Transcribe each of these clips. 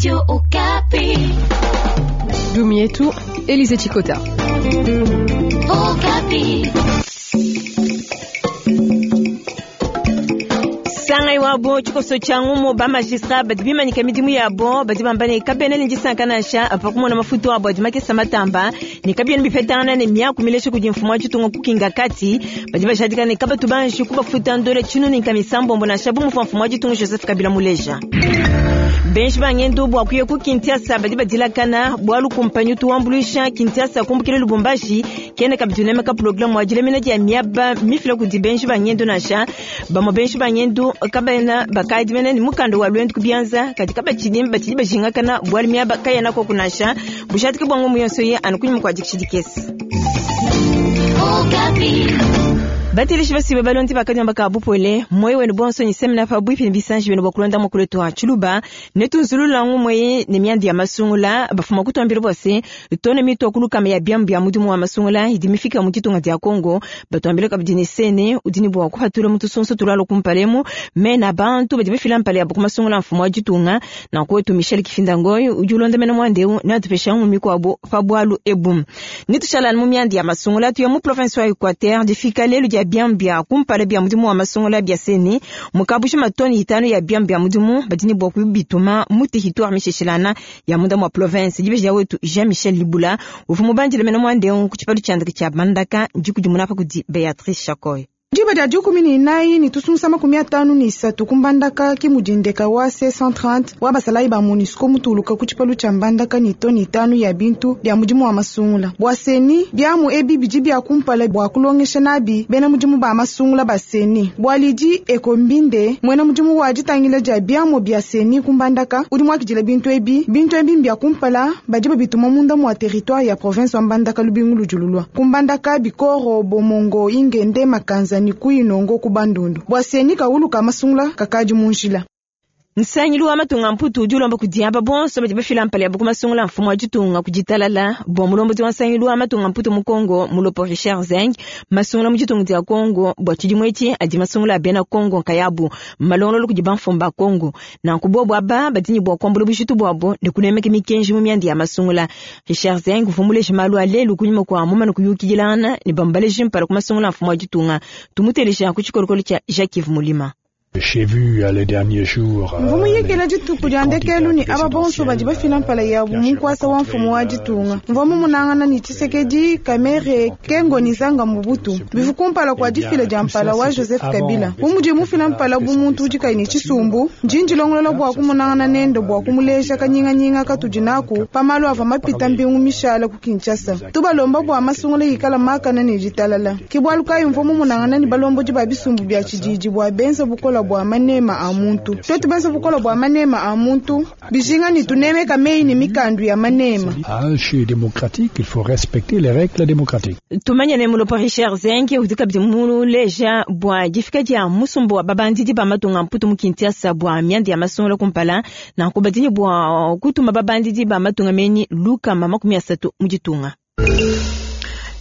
Radio Okapi. Dumietu, Elise Chikota. Okapi. Sangai wabo tshikoso tshia ngumu ba magistrat badi bimanyika midimu yabo badi bamba ne kabena ne disanka nansha pa kumona mafutu abo adi makesa matamba ne kabiena bipetangana ne miaku milesha kudi mfumu wa ditunga kukinga kati badi bajadika ne kabatu banji kubafuta ndola tshinu ne nkamisambombo nansha bu muvua mfumu wa ditunga Joseph Kabila muleja. Benji bangendu bua kuya ku Kinshasa badi badilakana bualu kumpanyi tuwambuluisha Kinshasa kumbukila Lubumbashi kena kabidi unemeka programu wa dilemena dia miaba mifila kudi benji bangendu nansha bamwe benji bangendu kabena bakadi mene ni mukanda wa lwendu kubianza kadi kabatshidi batshidi bajingakana bualu miaba kayena koku nansha bujadiki bwa ngumu yonso ye anu kunyima kua dikitshi dikese. Okapi. Bateleshi basibe balondi bakadiomba ka bupole moyo wenu bonso ni semina pa bwipi ni bisanji benu bwakulonda mukulu twa tshiluba netunzulula ngumwe ne miandi ya masungula bafuma kutwambila bose tone mitwa kulukama ya biambu bya mudimu wa masungula idi mifika mu ditunga dia Kongo batwambila kabidi ne sene udini bwa kuhatula mutu sonso tulalo kumpalemu mena bantu badi bafila mpale ya kumasungula mfumo wa ditunga na kwetu Michel Kifinda Ngoy udi ulonda mena mwandeu na tupesha ngumi kwabo pa bwalu ebu nitushala mu miandi ya masungula tuya mu province wa Equateur difika lelu dia biambu bya kumpala bya mudimu wa masungula bya seni mukabusha matoni itano ya biambu bya mudimu badini bwa kubituma mu territoire misheshilana ya munda mwa province dibeja wetu Jean Michel Libula uvu mubandile mena mwandeu ku tshipalu tshiandika tshia Mbandaka ndikudimuna pa kudi Beatrice Chakoy. Diba dia dikumi ne inayi ne tusunsa 53 kumbandaka ke mudindeka wa C130 wa basalayi ba MONUSCO mutuluka ku tshipalu tshia Mbandaka ne toni itanu ya bintu bia mudimu wa masungula bua seni biamu ebi bidi bia kumpala bua kulongesha nabi bena mudimu ba masungula ba seni bua lidi ekombinde muena mudimu wa ditangila dia biamu bia seni kumbandaka udi muakidila bintu ebi bintu ebi mbia kumpala badi babituma munda mua territoire ya province wa Mbandaka lubingu ludululwa kumbandaka bikoro bomongo ingende makanza ni kuinongo ku bandundu bua seni kaulu ka masungula kakadi munjila. Nsangilu wa matunga mputu udi ulomba kudiaba bonso badi bafila mpala yabo ku masungula mfumu wa ditunga kuditalala bua mulombodi wa nsangilu wa matunga mputu mu Kongo mulopo Richard Zeng masungula mu ditunga dia Kongo bua tshidimu etshi adi masungula a bena Kongo nkayabu malongololo kudi bamfumu ba Kongo nanku bobu aba badi ne bua kuambula bujitu buabo ne kunemeka mikenji mu mianda ya masungula. Richard Zeng uvua muleje malu a lelu kunyima kua mumane kuyukidilangana ne bambaleje mpala ku masungula mfumu wa ditunga tumuteleja ku tshikolokolo tshia Jacques Yves Mulima. J'ai vu les derniers jours mvumu yikila dituku dia ndekelu ni aba bonso badi bafila mpala yabu munkwasa wa mfumu wa ditunga mvua mumunangana ni Tshisekedi Kamere Kengo ni Zanga Mobutu bivu kumpala kua difila dia mpala wa Joseph Kabila bumudi mufila mpala bu muntu udi kayi ne tshisumbu ndindi longolola bua kumunangana nende bua kumuleja kanyinganyinga katudi naku pamalu ava mapita mbingu mishala ku Kinshasa tubalomba bua masungula yikala makana ne ditalala ke bualu kayi mvua mumunangana ni balombodi ba bisumbu bia tshididi bua benza bukola bua manema a muntu twetu benza bukola bua manema a muntu bijinga ni tunemeka meyi ni mikandu ya manema. Chez démocratique, il faut respecter les règles démocratiques. Tumanya ne mulopo Richard Zeng udi kabidi muleja bua difika dia musumbu wa babandidi ba matunga mputu mu Kinshasa bua mianda ya masungula kumpala nanku badini bua kutuma babandidi ba matunga menyi lukama 30 mu ditunga.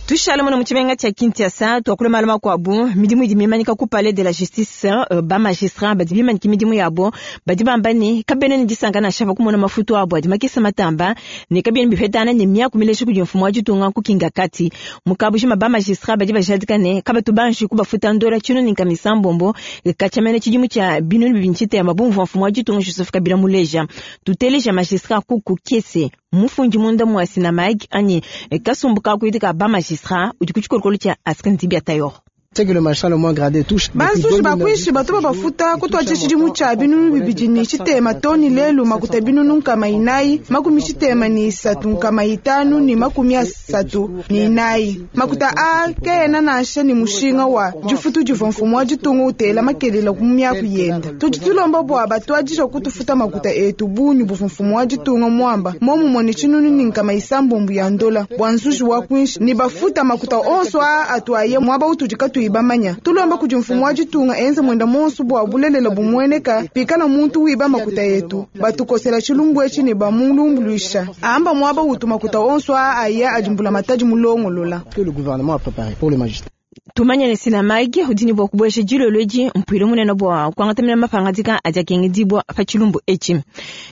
Tushala muna mutshimenga tshia Kinshasa tuakula malu makuabu midimu idi mimanyika ku palais de la justice ba magistrat badi bimanyika midimu yabo badi bamba ne kabena ne disanka nansha pa kumona mafutu abo adi makesa matamba ne kabiena bipetana ne miaku milesha kudi mfumu wa ditunga kukinga kati mukabujima ba magistrat badi bajadika ne kabatu banji kubafuta ndola tshinu ne nkamisambombo katshamene tshidimu tshia binunu bibidi tshitema bumvua mfumu wa ditunga Joseph Kabila muleja tuteleja magistrat kuku kese mufundi munda mua sinamag anyi kasumbu kakuitika ba magistrat udi ku tshikolokolo tshia Askan Dibia Tayor. C'est que le magistrat le moins gradé touche. Banzuzi bakwishi batu babafuta kutwa tshidimu tshia binunu bibidi ni tshitema toni lelu makuta binunu nkama inayi 63 534 makuta a kena nansha ni mushinga wa difutu divua mfumu wa ditunga utela makelela ku miaku yenda tudi tulomba bua batuadija kutufuta makuta etu bunyu buvua mfumu wa ditunga mwamba momumue ni tshinunu ni nkama isambombu ya ndola bua nzuji wa kwinshi ni bafuta makuta onso a atuaye mwaba utudi katuyi bamanya tulomba kudi mfumu wa ditunga enze mwenda monso bua bulelela bumueneka pikala muntu wiba makuta yetu batukosela tshilumbu etshi ne bamulumbuluisha amba mwaba utu makuta onso a aya adimbula matadi mulongolola Que le gouvernement a préparé pour le magistrat. Tumanye ne Synamag udi ne bua kubueja dilolo edi mpuilu munene bua kuangata mene mapangadika adi akengedibua pa tshilumbu etshi.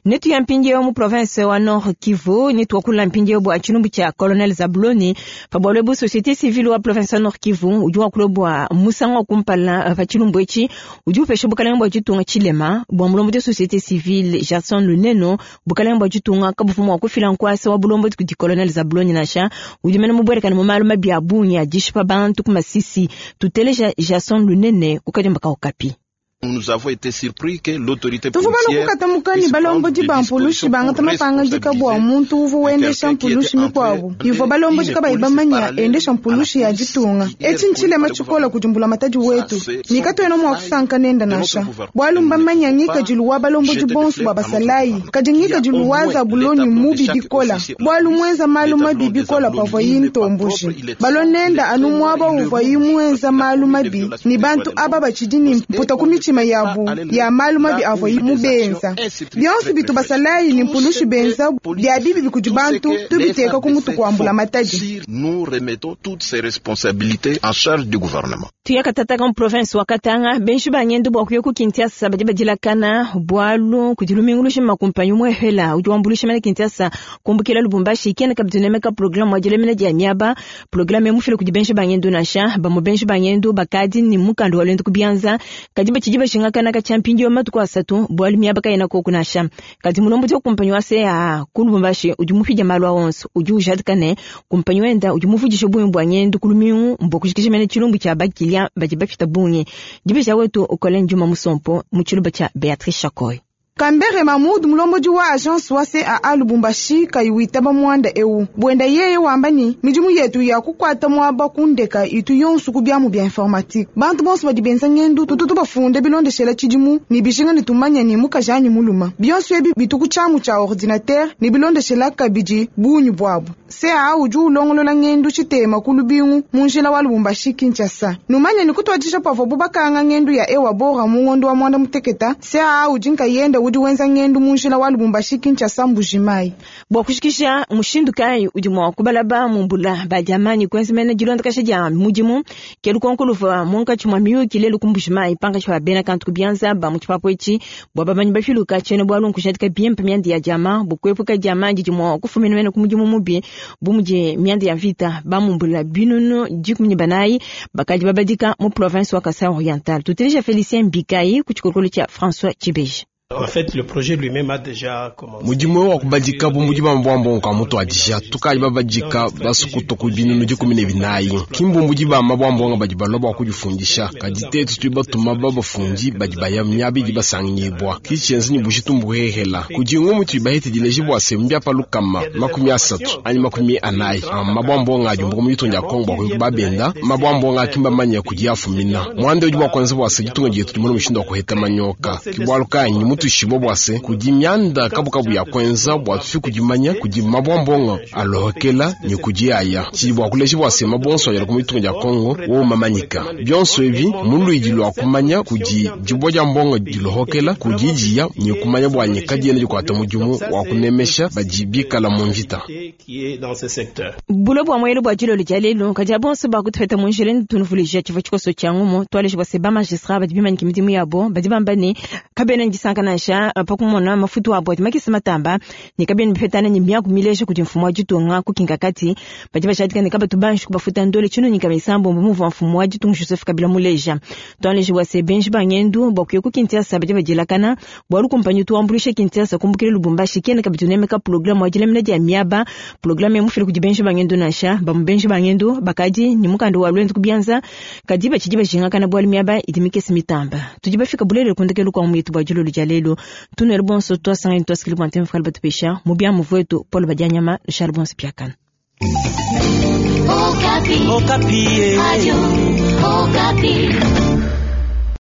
Netuya mpindieu mu province wa Nord Kivu, netuakula mpindieu bua tshilumbu tshia Colonel Zabuloni. Pa bualu ebu, société civile wa province wa Nord Kivu udi wakula bua musangu wa kumpala pa tshilumbu etshi, udi upesha bukalenge bua ditunga tshilema. Bua mulombodi wa société civile Jackson Luneno, bukalenge bua ditunga kabuvua mua kufila nkuasa wa bulombodi kudi Colonel Zabuloni nansha, udi mene mubuelekane mu malu mabi a bungi a dishipa bantu ku Masisi. Tuteleja Jackson Lunene ku kadiomba ka Okapi. Nous avons été surpris que l'autorité Tuvua policière balokukatamuka ne puisse prendre balombodi des ba mpulushi dispositions bangata pour mapangadika bua responsabiliser muntu uvua wendesha quelqu'un qui mpulushi était en mikuabu train ivua de balombodi une kabayi police bamanya parallèle endesha à la mpulushi ya police ditunga. qui est Etshi ntshilema reconnue par le tshikola kudi mbulamatadi Ça, wetu c'est ne katuena mua kusanka nenda de notre nansha gouvernement. bualu Nous ne mbamanya pouvons ngikadilu wa pas balombodi jeter des bonso fleurs bua à notre basalayi gouvernement. kadi Il y a ngikadilu au wa moins les Zabuloni tableaux de mubi chaque bikola officier de la bualu police. muenza malu Les mabi tableaux des bikola Zabuloni pavua yi n'est pas ntomboji propre, il est balo sale, il nenda est anu très muaba noir, il est uvua yi rouge, muenza parce qu'il a malu commis des mabi violations ne des droits bantu de aba l'homme. batshidi ne mputa ku mitshima yabu ya malu mabi Là où avua yi des mubenza actions institutrices bionso très bitu très basalayi ne Tout mpulushi ce que benza police bia bibi bikudi tout ce bantu que les tubiteka ku mutu FARDC kua font, mbulamatadi. si nous remettons toutes ces responsabilités en charge du gouvernement. Tuyakatataka mu province wa Katanga, benshi ba ngendu bua kuya ku Kinshasa badi badilakana bualu kudi lumingu lushima kumpanyi umuehela udi wambuluisha mene Kinshasa kumbukila Lubumbashi kena kabidi unemeka programu wa dilemena dia miaba. Programu emufile kudi benshi ba ngendu nansha bamue benshi ba ngendu bakadi ni mukanda wa luendu ku bianza kadi batshidi bashingakana katshia mpindieu matuku asatu bualu miaba kayena koku nansha. Kadi mulombodi wa kumpanyi wa CAA ku Lubumbashi udi mupidia malu a onso udi ujadika ne kumpanyi wenda udi muvudisha bungi bua ngendu ku lumingu mbua kujikija mene tshilumbu tshia bakilia badi bapita bungi. Dibeja wetu Colin Juma Musompo mu tshiluba tshia Beatrice Chakoy. Kambere Mahmoud mulombodi wa agence wa CAA Lubumbashi kayi witaba muanda eu buenda yeye wamba ni midimu yetu ya kukwata muaba kundeka itu yonso ku biamu bia informatique bantu bonso badi benza ngendu tutu tubafunde bilondeshela tshidimu ne bijinga ne tumanya ni mukaji anyi muluma bionso ebi bitu ku tshiamu tshia ordinateur ne bilondeshela kabidi bungi buabu. CAA udi ulongolola ngendu tshitema ku lubingu mu njila wa Lubumbashi Kinshasa numanya ni kutuadija pavuabu bakanga ngendu ya ewa bora mu ngondo wa mwanda muteketa CAA udi nkayenda udi wenza ngendu mu njila wa Lubumbashi Kinshasa Mbujimayi. Bua kushikisha mushindu kayi udi mua kubalaba mumbula badiamanyi kuenza mene dilondakasha dia mudimu ke lukonko luvua munkatshi mua miyuki lelu ku Mbujimayi pankatshi pa bena kantu ku bianza ba mu tshipapu etshi bua bamanyi bafiluka tshiena bualu nkujadika bimpe mianda ya diama bukuepuka diama didi mua kufumina mene ku mudimu mubi bu mudi mianda ya mvita bamumbula binunu 14 bakadi babadika mu province wa Kasai Oriental. Tuteleja Felicien Mbikayi ku tshikolokolo tshia François Tshibeji. En fait, le projet lui-même a déjà commencé. Mudimu wa kubadika bu mudi bambwambongo ka mutu adija tukali babadika basukuto ku binunu 14 kimbumbu ba mabwambongo badi balwa bua kudifundisha kadi tetu tudi batuma babafundi badi baya miaba idi basangibwa kitshienza ni bujitu mbuhehela kudi ngumu tudi bahete bua se mbiapa lukama 30 anyi 40 mabwambongo adi mbuku mu ditunga dia Kongo bua kuya babenda mabwambongo akimba manya kudi afumina mwanda udi bua kuenza bua se ditunga dietu dimona mushindu wa kuheta manyoka kibwalu kanyi mutu shibo bwase kudi myanda kabukabu ya kwenza bua tufi kudimanya kudi mabwambongo alohokela ni kudi aya tshidi bua kuleja bwase mabonso ayala ku mitunga dia Kongo wo mamanyika bionso ebi muluidi lwa kumanya kudi dibwa dia mbongo dilohokela kudi diya ni kumanya bua nyika diena dikuata mudimu wa kunemesha badi bikala mu mvita. Qui est dans ce secteur. Bulo bua muelu bua dilolo dia lelu kadi abonso bakutufeta mu njila ne tunuvulija tshivua tshikoso tshia ngumu tualeja bua se ba magistrat badi bimanyika midimu yabo badi bamba ne kabena ne disanka nansha pa kumona mafutu abo adi makese matamba ne kabena bipetana ne miaku mileja kudi mfumu wa ditunga kukinga kati badi bashadika ne kabatu banji kubafuta ndole tshino nyika misambombo muvua mfumu wa ditunga Joseph Kabila muleja. Tualeja bua se benji ba ngendu bua kuya ku Kinshasa badi badilakana bualu kumpanyi tuambuluisha Kinshasa kumbukila Lubumbashi kena kabidi unemeka programu wa dilemena dia miaba programu emufile kudi benji ba ngendu nansha bamu benji ba ngendu bakadi ni mukanda wa lwendu kubianza kadi batshidi bajingakana bualu miaba idi mikese mitamba. Tudi bafika bulele kundekelu kwa mwitu bua dilolo dia lelu tunwele bonso twasangani twasikili bua ntema fukala batupesha mu biamu vwetu Paul Badianyama Charles Bonso Piakana. Okapi. Okapi. Radio Okapi.